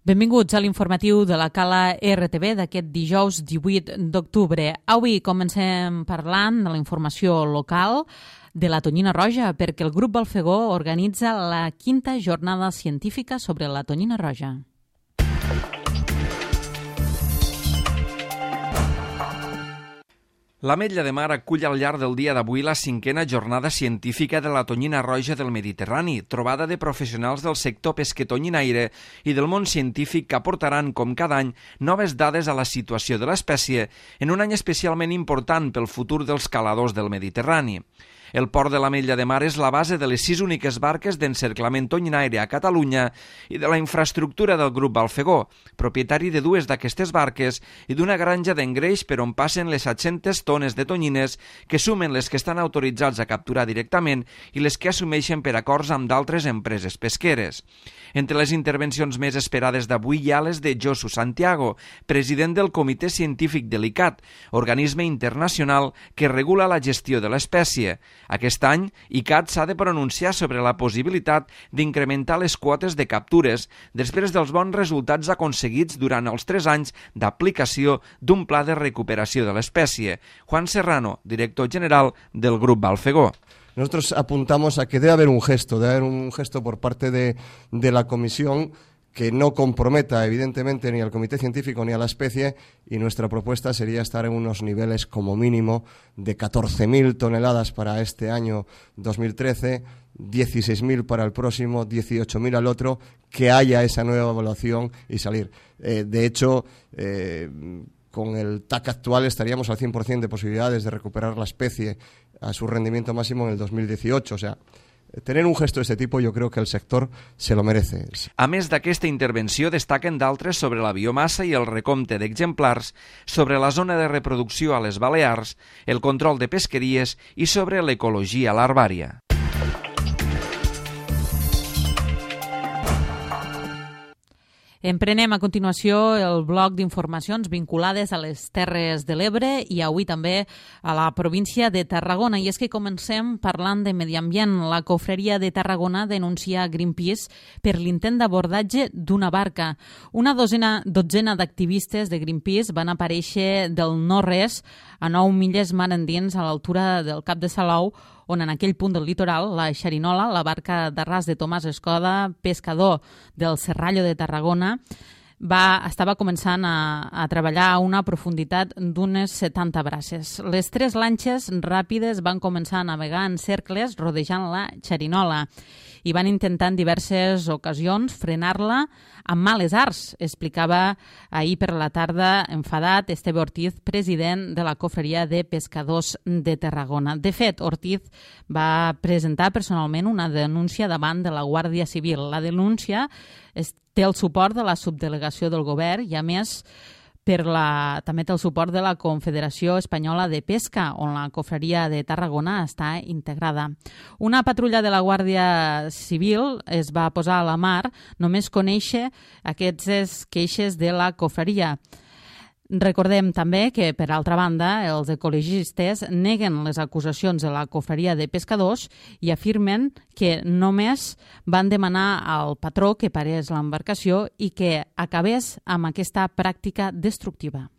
Benvinguts a l'informatiu de la Cala RTV d'aquest dijous 18 d'octubre. Avui comencem parlant de la informació local de la tonyina roja, perquè el grup Balfegó organitza la 5a jornada científica sobre la tonyina roja. L'Ametlla de Mar acull al llarg del dia d'avui la 5a jornada científica de la tonyina roja del Mediterrani, trobada de professionals del sector pesquetonyinaire i del món científic que aportaran, com cada any, noves dades a la situació de l'espècie en un any especialment important pel futur dels caladors del Mediterrani. El port de l'Ametlla de Mar és la base de les 6 úniques barques d'encerclament tonyinaire a Catalunya i de la infraestructura del grup Balfegó, propietari de 2 d'aquestes barques i d'una granja d'engreix per on passen les 700 tones de tonyines que sumen les que estan autoritzats a capturar directament i les que assumeixen per acords amb d'altres empreses pesqueres. Entre les intervencions més esperades d'avui hi ha les de Josu Santiago, president del Comitè Científic de l'ICAT, organisme internacional que regula la gestió de l'espècie. Aquest any, ICAT s'ha de pronunciar sobre la possibilitat d'incrementar les quotes de captures després dels bons resultats aconseguits durant els 3 anys d'aplicació d'un pla de recuperació de l'espècie. Juan Serrano, director general del Grup Balfegó. Nosotros apuntamos a que debe haber un gesto por parte de la Comisión que no comprometa evidentemente ni al Comité Científico ni a la especie, y nuestra propuesta sería estar en unos niveles como mínimo de 14.000 toneladas para este año 2013, 16.000 para el próximo, 18.000 al otro, que haya esa nueva evaluación y salir. De hecho, con el TAC actual estaríamos al 100% de posibilidades de recuperar la especie a su rendimiento máximo en el 2018, o sea, tener un gesto de este tipo yo creo que el sector se lo merece. A més d'aquesta intervenció destaquen d'altres sobre la biomassa i el recompte d'exemplars, sobre la zona de reproducció a les Balears, el control de pesqueries i sobre l'ecologia larvària. Emprenem a continuació el bloc d'informacions vinculades a les Terres de l'Ebre i avui també a la província de Tarragona. I és que comencem parlant de medi ambient. La Cofreria de Tarragona denuncia Greenpeace per l'intent d'abordatge d'una barca. Una dotzena d'activistes de Greenpeace van aparèixer del no-res a 9 milles mar endins a l'altura del Cap de Salou, on en aquell punt del litoral, la Xerinola, la barca d'arràs de Tomàs Escoda, pescador del Serrallo de Tarragona, estava començant a treballar a una profunditat d'unes 70 braces. Les 3 lanxes ràpides van començar a navegar en cercles rodejant la Xerinola i van intentar en diverses ocasions frenar-la amb males arts, explicava ahir per la tarda enfadat Esteve Ortiz, president de la Cofreria de Pescadors de Tarragona. De fet, Ortiz va presentar personalment una denúncia davant de la Guàrdia Civil. La denúncia té el suport de la subdelegació del govern i, a més, també té el suport de la Confederació Espanyola de Pesca, on la Cofreria de Tarragona està integrada. Una patrulla de la Guàrdia Civil es va posar a la mar només conèixer aquestes queixes de la Cofreria. Recordem també que, per altra banda, els ecologistes neguen les acusacions de la Cofreria de Pescadors i afirmen que només van demanar al patró que parés l'embarcació i que acabés amb aquesta pràctica destructiva.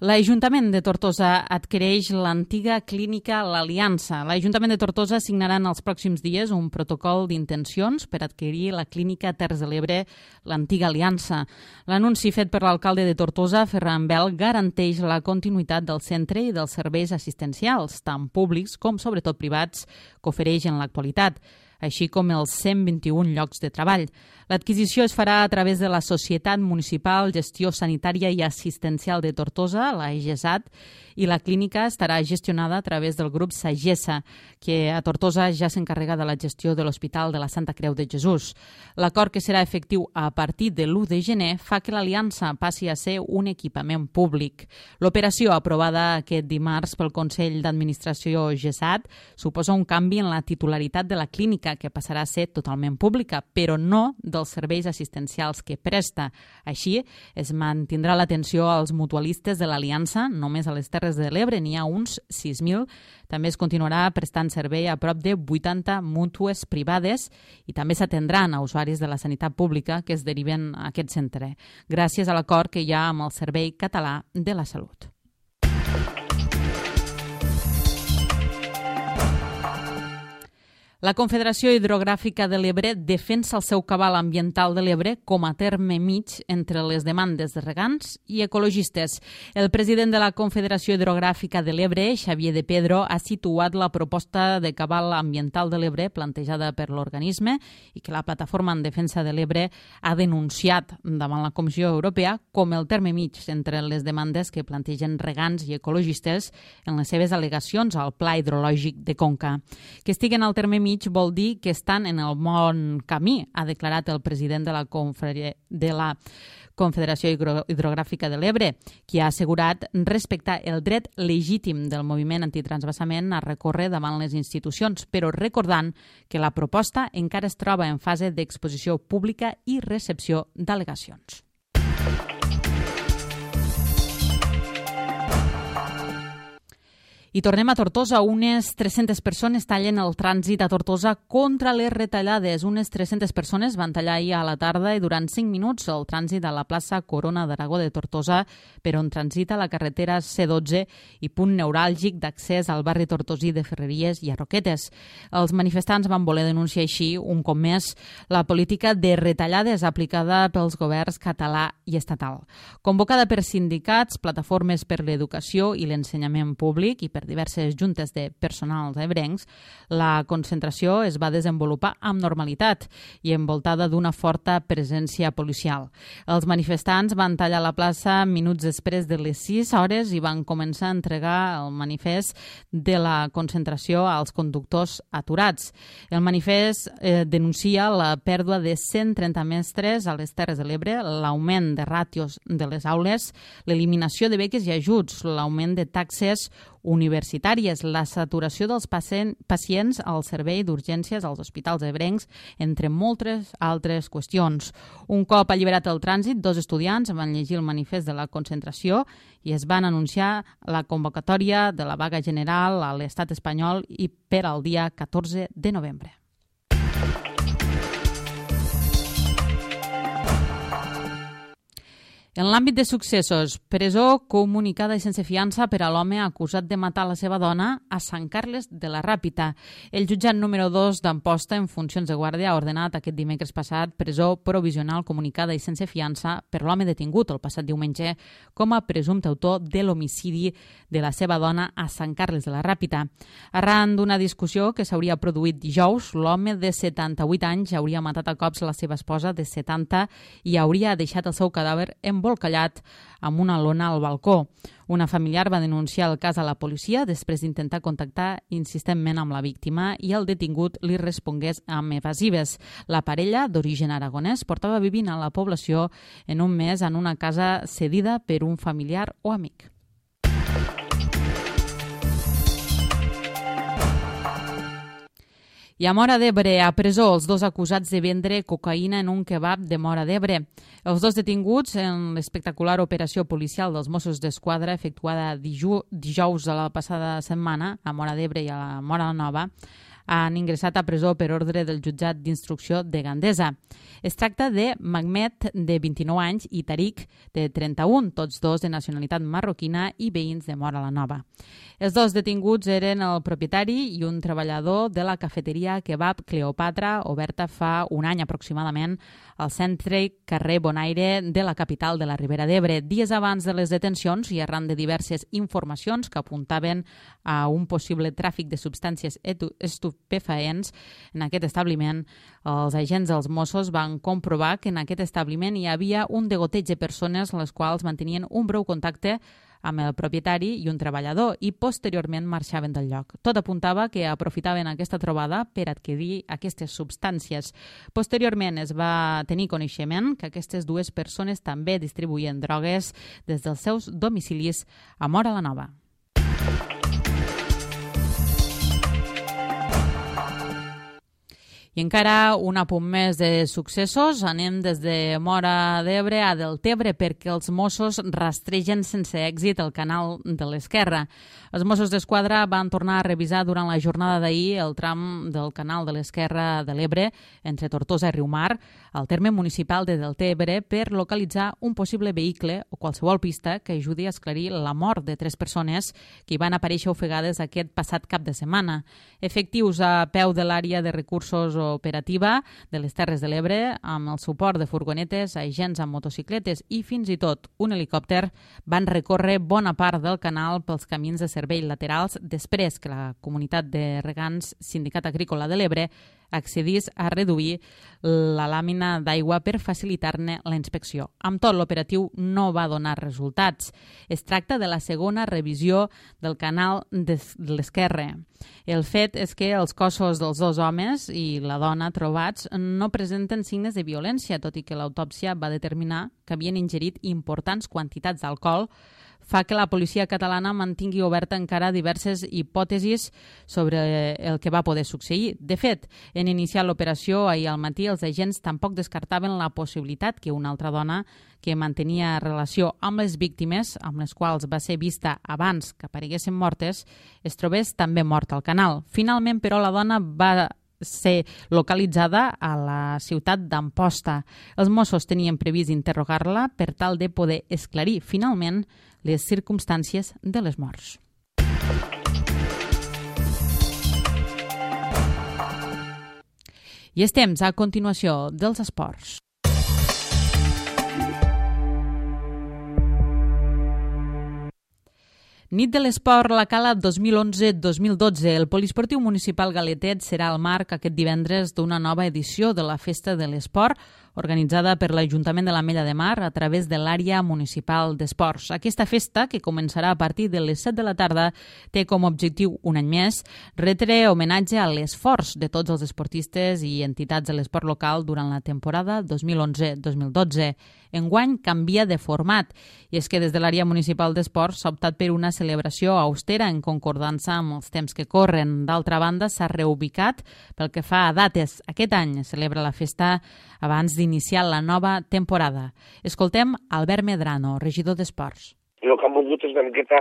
L'Ajuntament de Tortosa adquireix l'antiga clínica L'Aliança. L'Ajuntament de Tortosa signarà en els pròxims dies un protocol d'intencions per adquirir la clínica Terres de l'Ebre, l'antiga Aliança. L'anunci fet per l'alcalde de Tortosa, Ferran Bel, garanteix la continuïtat del centre i dels serveis assistencials, tant públics com, sobretot, privats, que ofereix en l'actualitat, així com els 121 llocs de treball. L'adquisició es farà a través de la Societat Municipal Gestió Sanitària i Assistencial de Tortosa, la EGESAT, i la clínica estarà gestionada a través del grup Sagessa, que a Tortosa ja s'encarrega de la gestió de l'Hospital de la Santa Creu de Jesús. L'acord, que serà efectiu a partir de l'1 de gener, fa que l'Aliança passi a ser un equipament públic. L'operació, aprovada aquest dimarts pel Consell d'Administració GESAT, suposa un canvi en la titularitat de la clínica, clínica, que passarà a ser totalment pública, però no dels serveis assistencials que presta. Així, es mantindrà l'atenció als mutualistes de l'Aliança, només a les Terres de l'Ebre n'hi ha uns 6.000. També es continuarà prestant servei a prop de 80 mútues privades i també s'atendran a usuaris de la sanitat pública que es deriven a aquest centre, gràcies a l'acord que hi ha amb el Servei Català de la Salut. La Confederació Hidrogràfica de l'Ebre defensa el seu cabal ambiental de l'Ebre com a terme mig entre les demandes de regants i ecologistes. El president de la Confederació Hidrogràfica de l'Ebre, Xavier de Pedro, ha situat la proposta de cabal ambiental de l'Ebre plantejada per l'organisme i que la Plataforma en Defensa de l'Ebre ha denunciat davant la Comissió Europea com el terme mig entre les demandes que plantegen regants i ecologistes en les seves al·legacions al Pla Hidrològic de Conca. Que estiguen al terme mig vol dir que estan en el bon camí, ha declarat el president de la Confederació Hidrogràfica de l'Ebre, qui ha assegurat respectar el dret legítim del moviment antitransvasament a recórrer davant les institucions, però recordant que la proposta encara es troba en fase d'exposició pública i recepció d'al·legacions. I tornem a Tortosa. Unes 300 persones tallen el trànsit a Tortosa contra les retallades. Unes 300 persones van tallar ahir a la tarda i durant 5 minuts el trànsit a la plaça Corona d'Aragó de Tortosa, per on transita la carretera C12 i punt neuràlgic d'accés al barri tortosí de Ferreries i a Roquetes. Els manifestants van voler denunciar així, un cop més, la política de retallades aplicada pels governs català i estatal. Convocada per sindicats, plataformes per l'educació i l'ensenyament públic i per diverses juntes de personals ebrencs, la concentració es va desenvolupar amb normalitat i envoltada d'una forta presència policial. Els manifestants van tallar la plaça minuts després de les 6 hores i van començar a entregar el manifest de la concentració als conductors aturats. El manifest denuncia la pèrdua de 130 mestres a les Terres de l'Ebre, l'augment de ràtios de les aules, l'eliminació de beques i ajuts, l'augment de taxes universitàries, la saturació dels pacients al servei d'urgències als hospitals ebrencs, entre moltes altres qüestions. Un cop alliberat el trànsit, 2 estudiants van llegir el manifest de la concentració i es van anunciar la convocatòria de la vaga general a l'estat espanyol i per al dia 14 de novembre. En l'àmbit de successos, presó comunicada i sense fiança per a l'home acusat de matar la seva dona a Sant Carles de la Ràpita. El jutjat número 2 d'Amposta, en funcions de guàrdia, ha ordenat aquest dimecres passat presó provisional comunicada i sense fiança per l'home detingut el passat diumenge com a presumpte autor de l'homicidi de la seva dona a Sant Carles de la Ràpita. Arran d'una discussió que s'hauria produït dijous, l'home de 78 anys hauria matat a cops la seva esposa de 70 i hauria deixat el seu cadàver embolcallat amb una lona al balcó. Una familiar va denunciar el cas a la policia després d'intentar contactar insistentment amb la víctima i el detingut li respongués amb evasives. La parella, d'origen aragonès, portava vivint a la població en un mes en una casa cedida per un familiar o amic. I a Móra d'Ebre, a presó, els 2 acusats de vendre cocaïna en un kebab de Móra d'Ebre. Els 2 detinguts en l'espectacular operació policial dels Mossos d'Esquadra efectuada dijous de la passada setmana a Móra d'Ebre i a Móra la Nova han ingressat a presó per ordre del jutjat d'instrucció de Gandesa. Es tracta de Magmet, de 29 anys, i Tariq, de 31, tots 2 de nacionalitat marroquina i veïns de Móra la Nova. Els 2 detinguts eren el propietari i un treballador de la cafeteria Kebab Cleopatra, oberta fa un any aproximadament al centre carrer Bonaire de la capital de la Ribera d'Ebre. Dies abans de les detencions i arran de diverses informacions que apuntaven a un possible tràfic de substàncies estupefaents en aquest establiment, els agents dels Mossos van comprovar que en aquest establiment hi havia un degoteig de persones les quals mantenien un breu contacte amb el propietari i un treballador i posteriorment marxaven del lloc. Tot apuntava que aprofitaven aquesta trobada per adquirir aquestes substàncies. Posteriorment es va tenir coneixement que aquestes 2 persones també distribuïen drogues des dels seus domicilis a Móra la Nova. I encara un apunt més de successos. Anem des de Móra d'Ebre a Deltebre perquè els Mossos rastregen sense èxit el canal de l'Esquerra. Els Mossos d'Esquadra van tornar a revisar durant la jornada d'ahir el tram del canal de l'Esquerra de l'Ebre entre Tortosa i Riumar, al terme municipal de Deltebre, per localitzar un possible vehicle o qualsevol pista que ajudi a esclarir la mort de 3 persones que hi van aparèixer ofegades aquest passat cap de setmana. Efectius a peu de l'àrea de recursos operativa de les Terres de l'Ebre, amb el suport de furgonetes, agents amb motocicletes i fins i tot un helicòpter, van recórrer bona part del canal pels camins de servei laterals després que la comunitat de regants Sindicat Agrícola de l'Ebre accedís a reduir la làmina d'aigua per facilitar-ne la inspecció. Amb tot, l'operatiu no va donar resultats. Es tracta de la segona revisió del canal de l'Esquerra. El fet és que els cossos dels 2 homes i la dona trobats no presenten signes de violència, tot i que l'autòpsia va determinar que havien ingerit importants quantitats d'alcohol, fa que la policia catalana mantingui oberta encara diverses hipòtesis sobre el que va poder succeir. De fet, en iniciar l'operació ahir al matí, els agents tampoc descartaven la possibilitat que una altra dona que mantenia relació amb les víctimes, amb les quals va ser vista abans que apareguessin mortes, es trobés també morta al canal. Finalment, però, la dona va ser localitzada a la ciutat d'Amposta. Els Mossos tenien previst interrogar-la per tal de poder esclarir finalment les circumstàncies de les morts. I és temps, a continuació, dels esports. Nit de l'Esport La Cala 2011-2012. El Poliesportiu Municipal Galetet serà el marc aquest divendres d'una nova edició de la Festa de l'Esport organitzada per l'Ajuntament de l'Ametlla de Mar a través de l'àrea municipal d'esports. Aquesta festa, que començarà a partir de les 7 de la tarda, té com a objectiu, un any més, retre homenatge a l'esforç de tots els esportistes i entitats de l'esport local durant la temporada 2011-2012. Enguany canvia de format, i és que des de l'àrea municipal d'esports s'ha optat per una celebració austera en concordança amb els temps que corren. D'altra banda, s'ha reubicat pel que fa a dates. Aquest any es celebra la festa abans d'iniciar la nova temporada. Escoltem Albert Medrano, regidor d'Esports. I el que hem volgut és una miqueta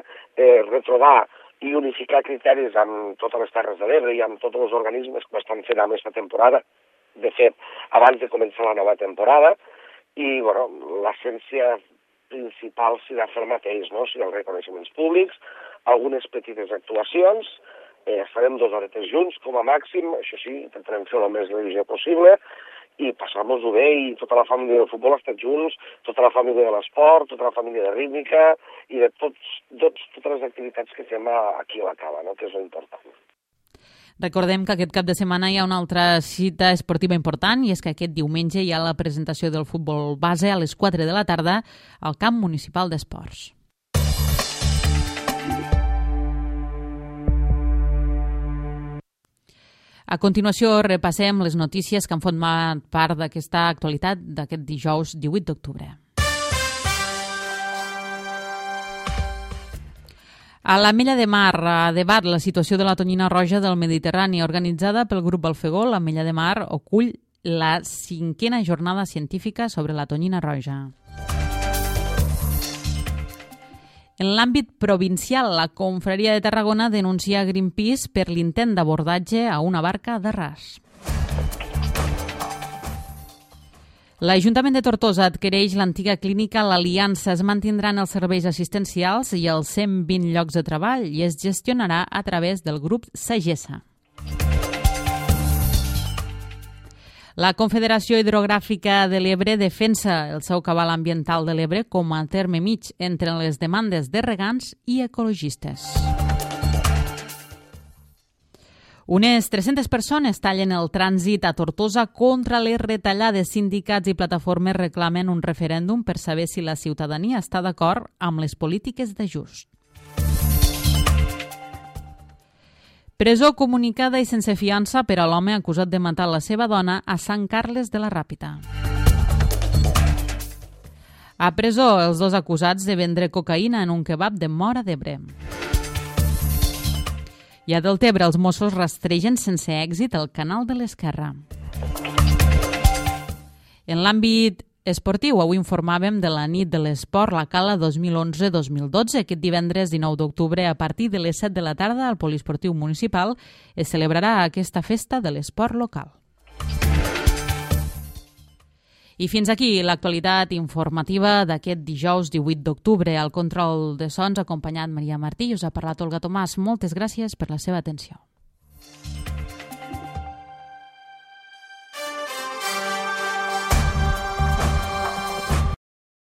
retrobar i unificar criteris amb totes les Terres de l'Ebre i amb tots els organismes que estan fent amb aquesta temporada, de fet, abans de començar la nova temporada, i bueno, l'essència principal serà fer el mateix, no? Si els reconeixements públics, algunes petites actuacions, estarem 2 horetes junts com a màxim, això sí, intentarem fer el més revisió possible, i passar-nos-ho bé, i tota la família del futbol ha estat junts, tota la família de l'esport, tota la família de rítmica, i de totes les activitats que fem aquí a la Cala, no? Que és important. Recordem que aquest cap de setmana hi ha una altra cita esportiva important, i és que aquest diumenge hi ha la presentació del futbol base a les 4 de la tarda al Camp Municipal d'Esports. A continuació repassem les notícies que han format part d'aquesta actualitat d'aquest dijous 18 d'octubre. A l'Ametlla de Mar debat la situació de la tonyina roja del Mediterrani. Organitzada pel grup Alfegol, l'Ametlla de Mar acull la 5a jornada científica sobre la tonyina roja. En l'àmbit provincial, la Confraria de Tarragona denuncia Greenpeace per l'intent d'abordatge a una barca de ras. L'Ajuntament de Tortosa adquireix l'antiga clínica L'Aliança. Es mantindran els serveis assistencials i els 120 llocs de treball i es gestionarà a través del grup Sagessa. La Confederació Hidrogràfica de l'Ebre defensa el seu cabal ambiental de l'Ebre com a terme mig entre les demandes de regants i ecologistes. Unes 300 persones tallen el trànsit a Tortosa contra les retallades. Sindicats i plataformes reclamen un referèndum per saber si la ciutadania està d'acord amb les polítiques d'ajust. Presó comunicada i sense fiança per a l'home acusat de matar la seva dona a Sant Carles de la Ràpita. A presó, els 2 acusats de vendre cocaïna en un kebab de Móra d'Ebre. I a Deltebre, els Mossos rastregen sense èxit el canal de l'Esquerra. En l'àmbit esportiu, avui informàvem de la nit de l'esport, la Cala 2011-2012. Aquest divendres 19 d'octubre, a partir de les 7 de la tarda, al Poliesportiu Municipal es celebrarà aquesta festa de l'esport local. I fins aquí l'actualitat informativa d'aquest dijous 18 d'octubre. Al control de sons, acompanyat Maria Martí, us ha parlat Olga Tomàs. Moltes gràcies per la seva atenció.